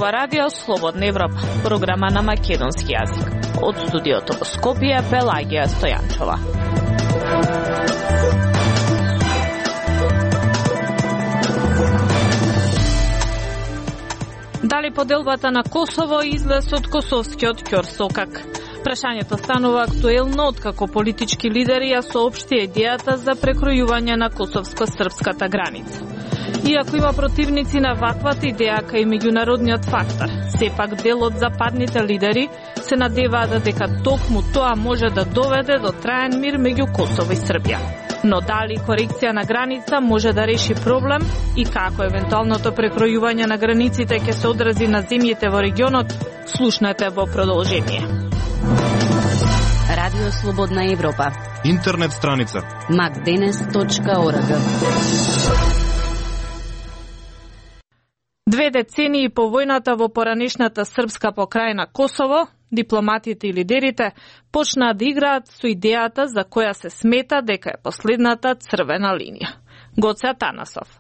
ова радио Слободна Европа, програма на македонски јазик. Од студиото во Скопје, Пелагија Стојанчова. Дали поделбата на Косово излез од косовскиот ќорсокак? Прашањето станува актуелно откако политички лидери ја соопшти идејата за прекројување на косовско-српската граница. Иако има противници на ваквата идеја кај меѓународниот фактор, сепак дел од западните лидери се надеваат дека токму тоа може да доведе до траен мир меѓу Косово и Србија. Но дали корекција на граница може да реши проблем и како евентуалното прекројување на границите ќе се одрази на земјите во регионот, слушнете во продолжение. Радио Слободна Европа. Интернет страница macdenes.org. 2 децении по војната во поранешната српска покрајна Косово, дипломатите и лидерите почнаа да играат со идејата за која се смета дека е последната црвена линија. Гоце Атанасов.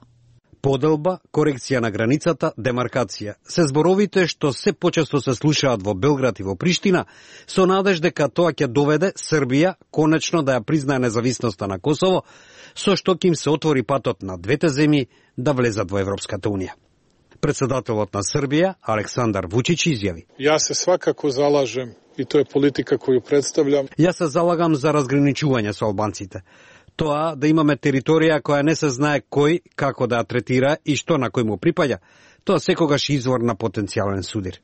Поделба, корекција на границата, демаркација. Се зборовите што се почесто се слушаат во Белград и во Приштина, со надеж дека тоа ќе доведе Србија конечно да ја признае независноста на Косово, со што ќе им се отвори патот на двете земји да влезат во Европската унија. Председателот на Србија, Александар Вучич, изјави: Јас се свакако залажем и тоа е политика која представljam. Јас се залагам за разграничување со албанците. Тоа да имаме територија која не се знае кој, како да ја третира и што на кој му припаѓа, тоа секогаш извор на потенцијален судир.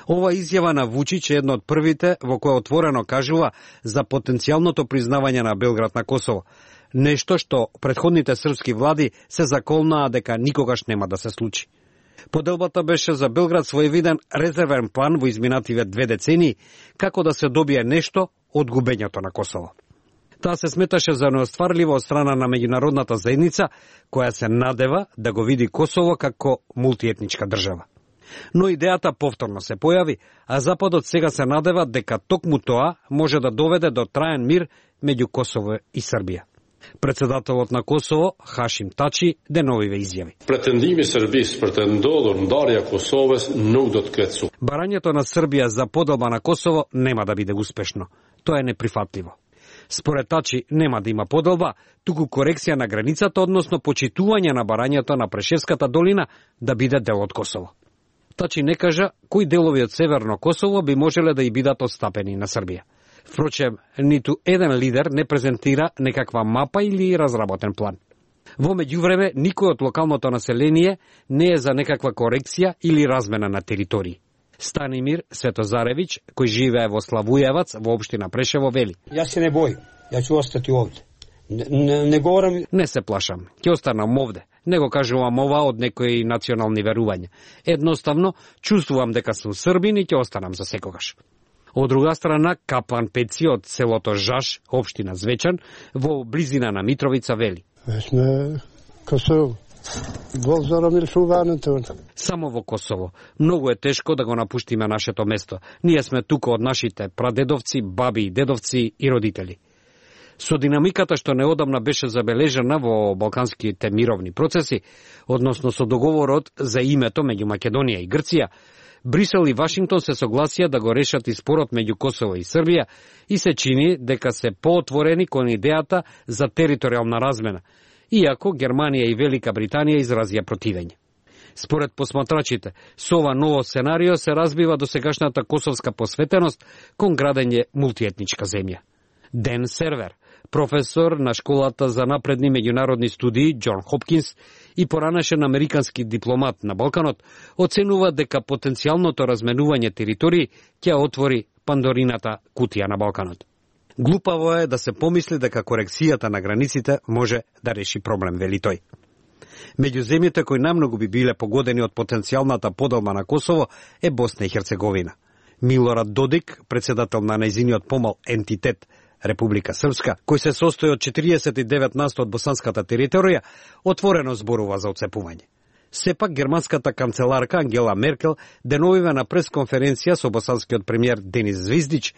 Ова изјава на Вучич е една од првите во која отворено кажува за потенцијалното признавање на Белград на Косово. Нешто што претходните српски влади се заколнаа дека никогаш нема да се случи. Поделбата беше за Белград своевиден резервен план во изминативе 2 децении како да се добие нешто од губењето на Косово. Таа се сметаше за неостварливо од страна на меѓународната заедница, која се надева да го види Косово како мултиетничка држава. Но идејата повторно се појави, а Западот сега се надева дека токму тоа може да доведе до траен мир меѓу Косово и Србија. Председателот на Косово, Хашим Тачи, деновиве изјави: Претендими Србис претендодор ндарја Косовес nuk do të ketë suksес. Барањето на Србија за поделба на Косово нема да биде успешно. Тоа е неприфатливо. Според Тачи нема да има поделба, туку корекција на границата, односно почитување на барањето на Прешевската долина да биде дел од Косово. Тачи не кажа кои делови од Северно Косово би можеле да и бидат отстапени на Србија. Впрочем, ниту еден лидер не презентира некаква мапа или разработен план. Во меѓувреме, никој од локалното население не е за некаква корекција или размена на територии. Станимир Светозаревич, кој живее во Славујевац, во општина Прешево, вели: Јас се не бојам, ја ќе остати овде. Не говорам... Не се плашам, ќе останам овде. Не го кажувам ова од некои национални верувања. Едноставно, чувствувам дека сум србин и ќе останам за секогаш. Од друга страна, Каплан Пеци од селото Жаш, општина Звечан, во близина на Митровица, вели: Косово. Само во Косово. Многу е тешко да го напуштиме нашето место. Ние сме тука од нашите прадедовци, баби и дедовци и родители. Со динамиката што неодамна беше забележана во балканските мировни процеси, односно со договорот за името меѓу Македонија и Грција, Брисел и Вашингтон се согласија да го решат и спорот меѓу Косово и Србија и се чини дека се поотворени кон идејата за територијална размена, иако Германија и Велика Британија изразија противење. Според посматрачите, со ова ново сценарио се разбива досегашната косовска посветеност кон градење мултиетничка земја. Ден Сервер, професор на школата за напредни меѓународни студии Џон Хопкинс и поранешен американски дипломат на Балканот, оценува дека потенцијалното разменување територии ќе отвори Пандорината кутија на Балканот. Глупаво е да се помисли дека корекцијата на границите може да реши проблем, вели тој. Меѓу земјите кои најмногу би биле погодени од потенцијалната поделба на Косово е Босна и Херцеговина. Милорад Додик, председател на нејзиниот помал ентитет Република Српска, кој се состои од 49% од босанската територија, отворено зборува за отцепување. Сепак, германската канцеларка Ангела Меркел деновиве на пресконференција со босанскиот премиер Денис Звиздич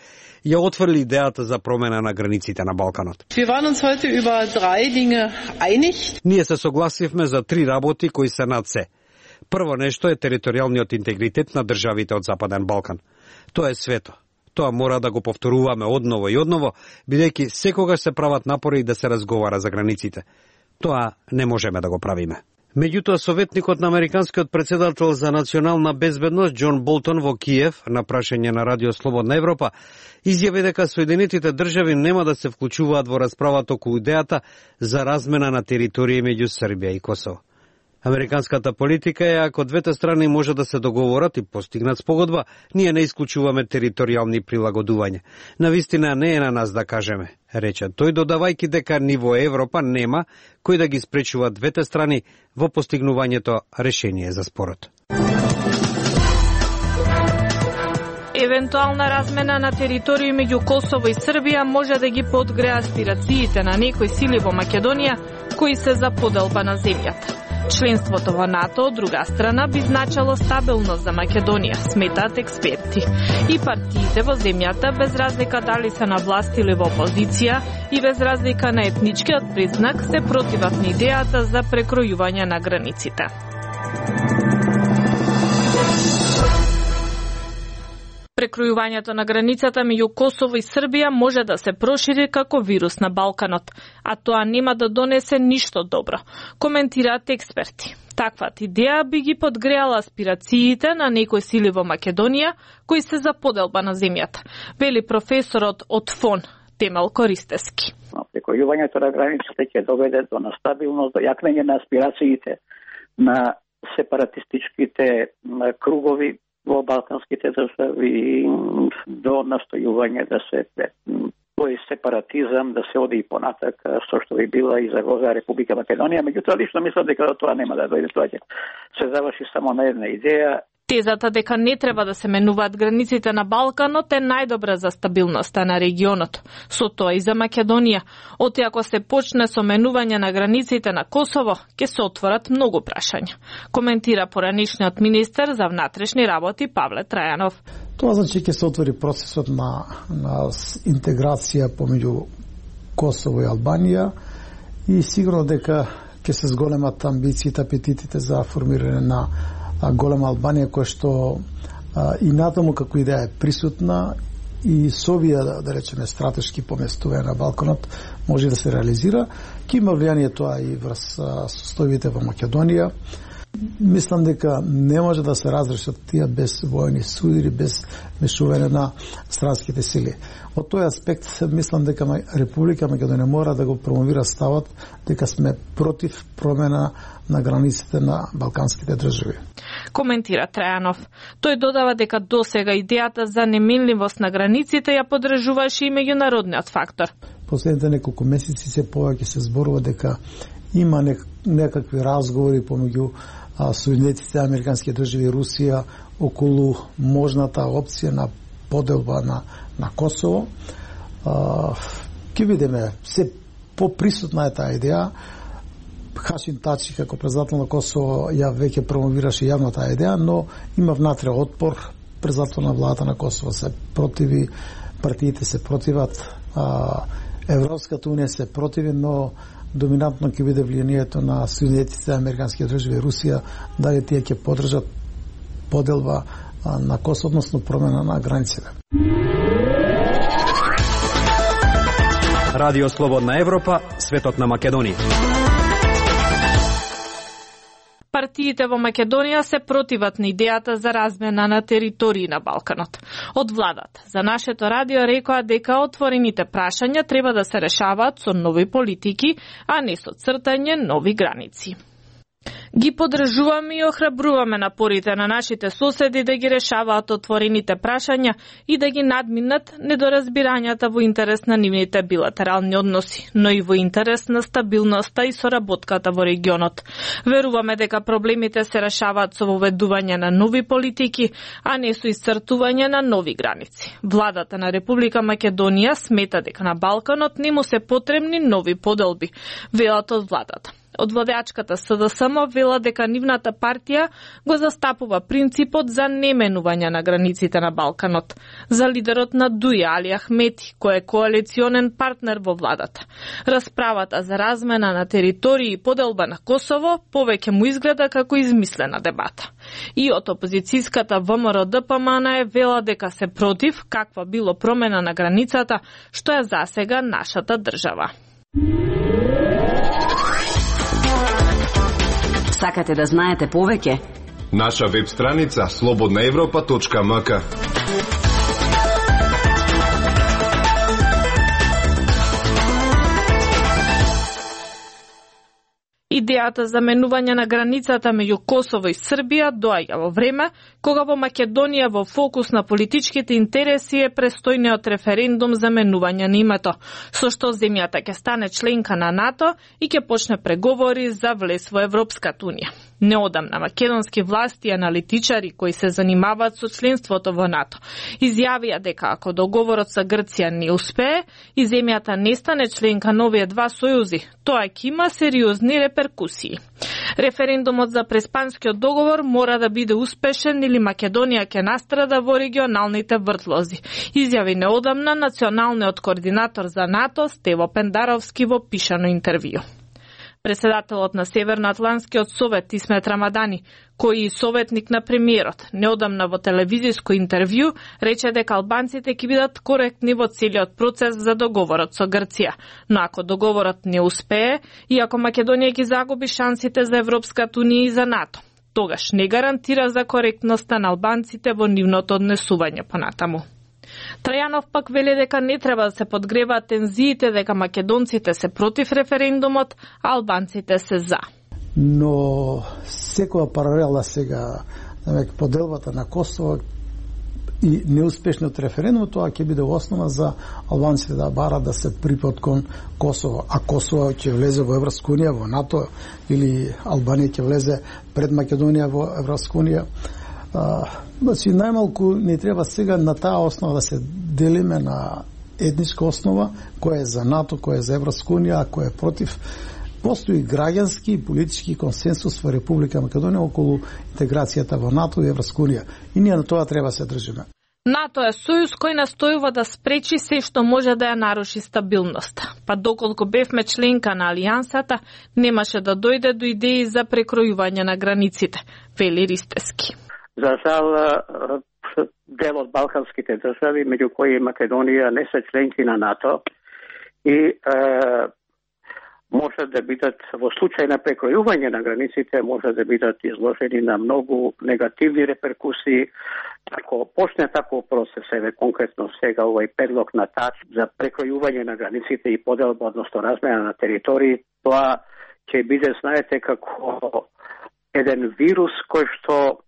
ја отврли идејата за промена на границите на Балканот. Ние се согласивме за 3 работи кои се над се. Прво нешто е територијалниот интегритет на државите од Западен Балкан. Тоа е свето. Тоа мора да го повторуваме одново и одново, бидејќи секогаш се прават напори да се разговара за границите. Тоа не можеме да го правиме. Меѓутоа, советникот на американскиот претседател за национална безбедност Џон Болтон во Киев, на прашање на Радио Слободна Европа, изјави дека Соединетите држави нема да се вклучуваат во расправата околу идејата за размена на територија меѓу Србија и Косово. Американската политика е, ако двете страни може да се договорат и постигнат спогодба, ние не исклучуваме територијални прилагодувања. Навистина не е на нас да кажеме, рече тој, додавајќи дека ни во Европа нема кој да ги спречува двете страни во постигнувањето решение за спорот. Евентуална размена на територија меѓу Косово и Србија може да ги подгреа аспирациите на некои сили во Македонија кои се за поделба на земјата. Членството во НАТО, од друга страна, би значило стабилност за Македонија, сметаат експерти. И партиите во земјата, без разлика дали се на власт или во опозиција, и без разлика на етничкиот признак, се противат на идејата за прекројување на границите. Прекројувањето на границата меѓу Косово и Србија може да се прошири како вирус на Балканот, а тоа нема да донесе ништо добро, коментираат експерти. Таквата идеја би ги подгреала аспирациите на некои сили во Македонија кои се за поделба на земјата, вели професорот од ФОН Темел Користески. Прекројувањето на границите ќе доведе до настабилност, до јакнење на аспирациите на сепаратистичките кругови во балканските држави, до настојување да се тој сепаратизам да се оди и понатака, со што би била и загроза Република Македонија. Меѓутоа, лично мислам дека тоа нема да дојде, тоа ќе се заврши само на една идеја. Тезата дека не треба да се менуваат границите на Балканот е најдобра за стабилноста на регионот, со тоа и за Македонија. Оти ако се почне со менување на границите на Косово, ќе се отворат многу прашања, коментира поранишниот министер за внатрешни работи Павле Трајанов. Тоа значи ќе се отвори процесот на интеграција помеѓу Косово и Албанија и сигурно дека ќе се зголемат амбициите, апетитите за формирање на голема Албанија, која што и натаму како идеја е присутна и со овие, да речеме, стратешки поместувања на Балканот може да се реализира. Ке има влијание тоа и врз состојбите во Македонија. Мислам дека не може да се разрешат тие без војни судири, без мешување на странските сили. Од тој аспект мислам дека Република Македонија мора да го промовира ставот дека сме против промена на границите на балканските држави. Коментира Трајанов. Тој додава дека досега идејата за неменливост на границите ја поддржуваше и меѓународниот фактор. Последните неколку месеци се повеќе се зборува дека има некакви разговори помеѓу Соединетите американски држави и Русија околу можната опција на поделба на Косово. Ке видиме, се поприсутна е таа идеја. Хашим Тачи како председател на Косово ја веќе промовираше јавно таа идеја, но има внатре отпор. Председател на владата на Косово се противи, партиите се противат, Европската унија се противи, но доминантно ќе биде влијанието на Соединетите американски држави и Русија, дали тие ќе поддржат поделба на Косово, односно промена на границите. Радио Слободна Европа, светот на Македонија. Партиите во Македонија се противат на идејата за размена на територии на Балканот. Од владата за нашето радио рекоа дека отворените прашања треба да се решаваат со нови политики, а не со цртање нови граници. Ги поддржуваме и охрабруваме напорите на нашите соседи да ги решаваат отворените прашања и да ги надминат недоразбирањата во интерес на нивните билатерални односи, но и во интерес на стабилноста и соработката во регионот. Веруваме дека проблемите се решаваат со воведување на нови политики, а не со исцртување на нови граници. Владата на Република Македонија смета дека на Балканот не му се потребни нови поделби, велат од владата. Од владеачката СДСМ вела дека нивната партија го застапува принципот за неменување на границите на Балканот. За лидерот на Дуја, Али Ахмети, кој е коалиционен партнер во владата. Расправата за размена на територии и поделба на Косово повеќе му изгледа како измислена дебата. И од опозицијската ВМРО ДПМН е вела дека се против каква било промена на границата, што е засега нашата држава. Сакате да знаете повеќе? Наша веб страница slobodnaevropa.mk. Идејата за менување на границата меѓу Косово и Србија доаѓа во време кога во Македонија во фокус на политичките интереси е престојниот референдум за менување на името, со што земјата ќе стане членка на НАТО и ќе почне преговори за влез во Европската унија. Неодамна македонски власти и аналитичари кои се занимаваат со членството во НАТО изјавија дека ако договорот со Грција не успее и земјата не стане членка на овие два сојузи, тоа ќе има сериозни реперкусии. Референдумот за преспанскиот договор мора да биде успешен или Македонија ќе настрада во регионалните вртлози, изјави неодамна националниот координатор за НАТО Стево Пендаровски во пишано интервју. Председателот на Северноатлантскиот совет Исмет Рамадани, кој и советник на премиерот, неодамна во телевизиско интервју рече дека албанците ќе бидат коректни во целиот процес за договорот со Грција, но ако договорот не успее и ако Македонија ги загуби шансите за Европската унија и за НАТО, тогаш не гарантира за коректноста на албанците во нивното однесување понатаму. Трајанов пак вели дека не треба да се подгреваат тензиите, дека македонците се против референдумот, а албанците се за. Но секоја паралела сега, поделбата на Косово и неуспешниот референдум, тоа ќе биде основа за албанците да барат да се припод кон Косово. А Косово ќе влезе во Европска унија, во НАТО, или Албанија ќе влезе пред Македонија во Европска унија. Значи, најмалку не треба сега на таа основа да се делиме на етничка основа, која е за НАТО, која е за Европска унија, а која е против. Постои граѓански и политички консенсус во Република Македонија околу интеграцијата во НАТО и Европска унија. И ние на тоа треба се држиме. НАТО е сојуз кој настојува да спречи се што може да ја наруши стабилност. Па доколку бевме членка на алијансата, немаше да дојде до идеи за прекројување на границите, вели Ристески. За жал, дел од балканските држави, меѓу кои Македонија, не се членки на НАТО и може да бидат, во случај на прекројување на границите, може да бидат изложени на многу негативни реперкусии. Ако почне таков процес, еве конкретно сега овој предлог на ТАЧ за прекројување на границите и поделба, односно размена на територии, тоа ќе биде, знаете, како еден вирус кој што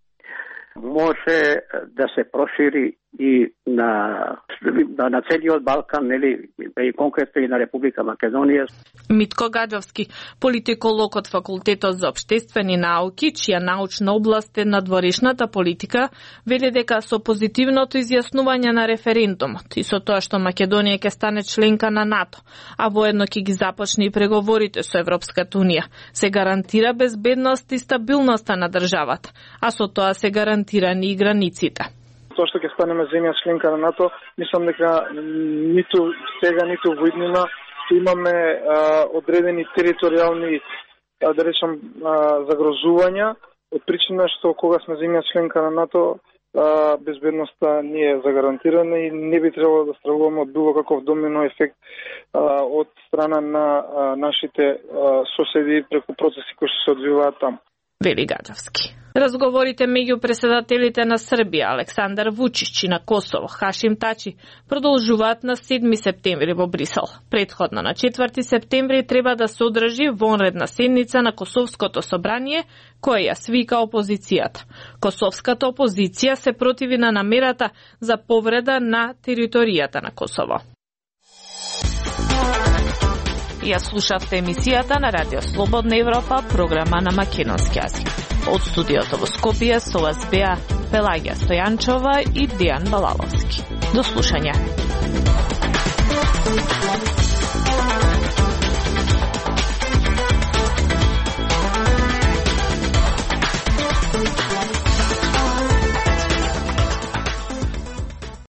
може да се прошири и на целиот Балкан, нели, и конкретно и на Република Македонија. Митко Гаджовски, политиколог од Факултетот за општествени науки, чија научна област е надворешната политика, вели дека со позитивното изјаснување на референдумот и со тоа што Македонија ќе стане членка на НАТО, а воедно ќе ги започне и преговорите со Европската унија, се гарантира безбедност и стабилноста на државата, а со тоа се гарантирани и границите. Тоа што ќе станеме земја членка на НАТО, мислам дека ниту сега, ниту во иднина имаме одредени територијални, да речам, загрозувања, од причина што кога сме земја членка на НАТО, безбедноста не е загарантирана и не би требало да стравуваме од било каков домино ефект од страна на нашите соседи преку процеси кои се одвиваат таму. Вели Гаджевски. Разговорите меѓу председателите на Србија Александар Вучич и на Косово Хашим Тачи продолжуваат на 7 септември во Брисел. Претходно на 4 септември треба да се одржи вонредна седница на Косовското собрание, која ја свика опозицијата. Косовската опозиција се противи на намерата за повреда на територијата на Косово. Ја слушавте емисијата на Радио Слободна Европа, програма на македонски јазик. Од студиото во Скопје со вас беа Пелагија Стојанчова и Дијан Балаловски. До слушање.